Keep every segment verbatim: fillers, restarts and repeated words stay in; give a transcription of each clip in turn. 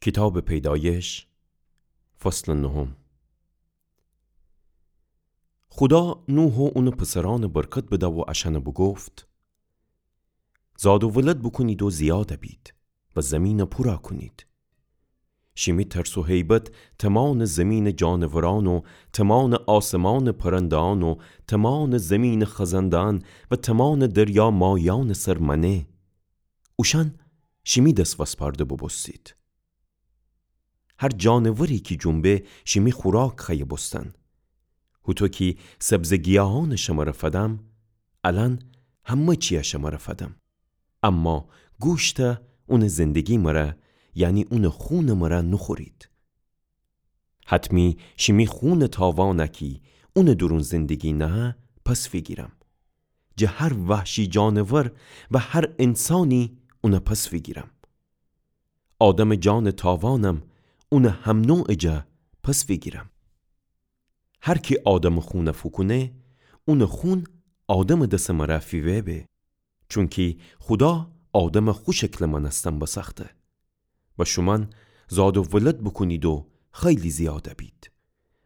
کیتابٚ پیدایش، فصلٚ نهم. خودا نوح و اونٚ پسرأنٚ برکت بده و اشأنٚ بوگفت: زاد و ولد بوکونید و زیاد بید و زیمینَ پورَ کونید. شیمی ترس و هیبت تومانٚ زیمینٚ جانورأن و تومانٚ آسمانٚ پرنده‌أن و تومانٚ زیمینٚ خزنده‌أن و تومانٚ دریا ماییأنٚ سر مأنه. اوشأن شیمی دس وسپارده بوبوستید. هر جانوری کی جنبه شیمی خوراک خوأیه بوستن. هوطو کی سبزٚ گیاهأنَ شمره فدم، الأن همه چیَ شمره فدم. اما گوشتَ اونٚ زندگی مره، یعنی اونٚ خونٚ مره نوخورید. حتمی شیمی خونٚ تاوانَ کی اونٚ دورون زندگی نهه، پس فیگیرم. جٚه هر وحشی جانور و هر انسانی اونَ پس فیگیرم. آدمٚ جانٚ تاوانم اونٚ همنوعٚ جا پس فیگیرم. هر کی آدمٚ خونَ فوکونه، اونٚ خون آدمٚ دسٚ مره فیوه به. چونکی خودا آدمَ خو شکلٚ مأنستن بسأخته. و شومأن زاد و ولد بوکونید و خیلی زیاد بید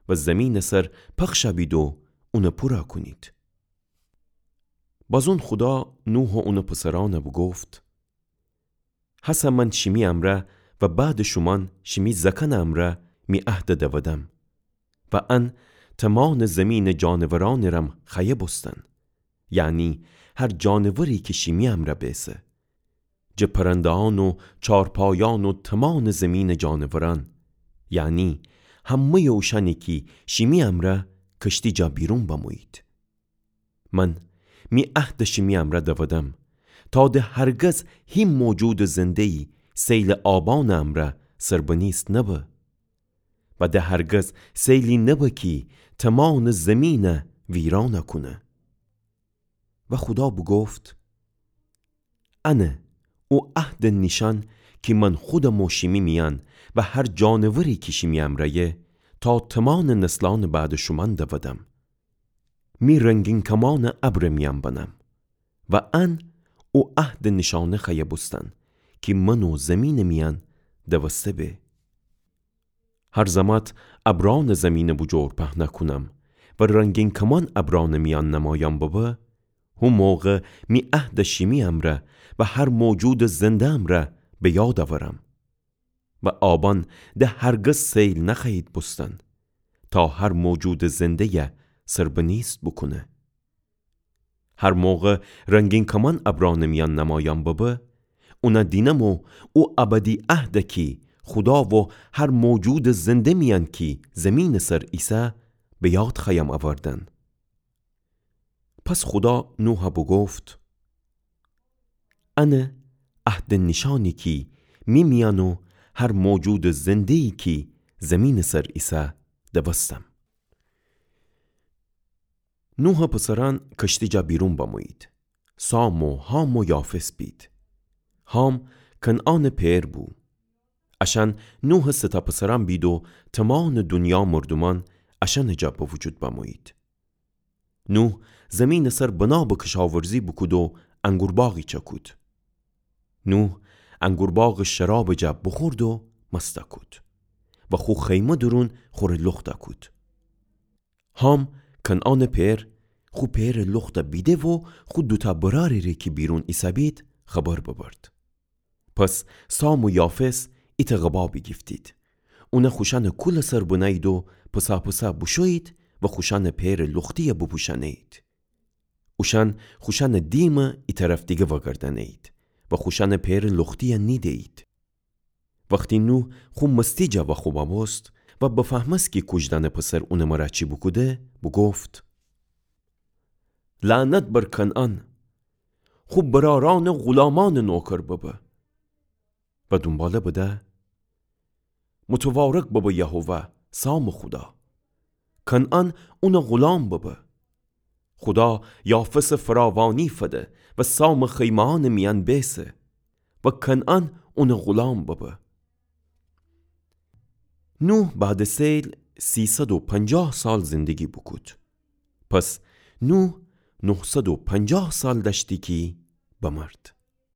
و زیمینٚ سر پخش بید و اونَ پورَ کونید. بازون خودا نوح و اونٚ پسرأنَ بوگفت: هسه من شیمی امرأ و بعدٚ شومأن شیمی زأکأنٚ امرأ می عهدَ دودم. و ان تومانٚ زیمینٚ جانورأنٚ رم خوأیه بوستن، یعنی هر جانوری کی شیمی امرأ بیسه. جٚه پرنده‌أن و چارپایأن و تومانٚ زیمینٚ جانورأن، یعنی همه‌یٚ اوشأنی کی شیمی امرأ کشتی جا بیرون بمویید. من می عهدَ شیمی امرأ دودم، تا د هرگز هی موجودٚ زنده‌یی سیلٚ آبأنٚ امرأ سربنیست نبه. و د هرگز سیلی نبه کی تومانٚ زیمینَ ویرانَ کونه. و خودا بوگفت: انه او عهدٚ نیشأن کی من خودم و شیمی میأن و هر جانوری کی شیمی امرأیه، تا تومانٚ نسلأنٚ بعدٚ شومأن دودم. می رنگین کمأنَ ابرٚ میأن بنم. و ان او عهدٚ نیشأنه خوأیه بوستن کی من و زیمینٚ میأن دوسته به. هر زمأت ابرأنٚ زیمینٚ بوجور پهنَ کونم و رنگین کمأن ابرأنٚ میأن نمایأن ببه، هو موقع می عهدَ شیمی امرأ و هر موجودٚ زنده امرأ به یاد اورم. و آبأن د هرگز سیل نخوأیید بوستن، تا هر موجودٚ زنده‌یَ سربنیست بوکونه. هر موقع رنگین کمأن ابرأنٚ میأن نمایأن ببه، اونَ دینم و او ابدی عهدَ کی خودا و هر موجودٚ زنده میأن کی زیمینٚ سر ایسه، به یاد خوأیم اوردن. پس خودا نوحَ بوگفت: انه عهدٚ نیشأنی کی می میأن و هر موجودٚ زنده‌یی کی زیمینٚ سر ایسه دوستم. نوحٚ پسرأن کشتی جا بیرون بمویید. سام و حام و یافث بید. حام کنعانٚ پئر بو. اشأن نوحٚ سه تأ پسرأن بید و تومانٚ دونیا مردومأن اشأنٚ جا به وجود بمویید. نوح زیمینٚ سر بنا به کشاورزی بوکود و انگورباغی چکود. نوح انگورباغٚ شرابٚ جا بوخورد و مست کود و خو خیمه دورون خوره لخت کود. حام، کنعانٚ پئر، خو پئرٚ لخت بیده و خو دوتأ برأرٚ ره کی بیرون ایسه‌بید خبر ببرد. پس سام و یافث ایتأ قبا بیگیفتید. اونَ خوشأنٚ کولٚ سر بنه‌یید و پسه‌پسه بوشویید و خوشأنٚ پئرٚ لختی‌یَ بوپوشأنه‌یید. اوشأن خوشأنٚ دیمَ ایطرف دیگه وأگردأنه‌یید و خوشأنٚ پئرٚ لختی‌یَ نیده‌یید. وختی نوح خو مستی جا وأخوبأ بوست و بفهمست کی کوجدأنٚ پسر اونٚ مرأ چی بوکوده، بوگفت: لعنت بر کنعان، خو برأرأنٚ غلامأنٚ نوکر ببه. و دونباله بده: متوارک ببه یهوه، سامٚ خودا. کنعان اونٚ غلام ببه. خودا یافثٚ فراوانی فده و سامٚ خیمه‌أنٚ میأن بیسه و کنعان اونٚ غلام ببه. نوح بعدٚ سیل سیصد و پنجاه سال زندگی بوکود. پس نوح نهصد و پنجاه سال دأشتی کی بمرد.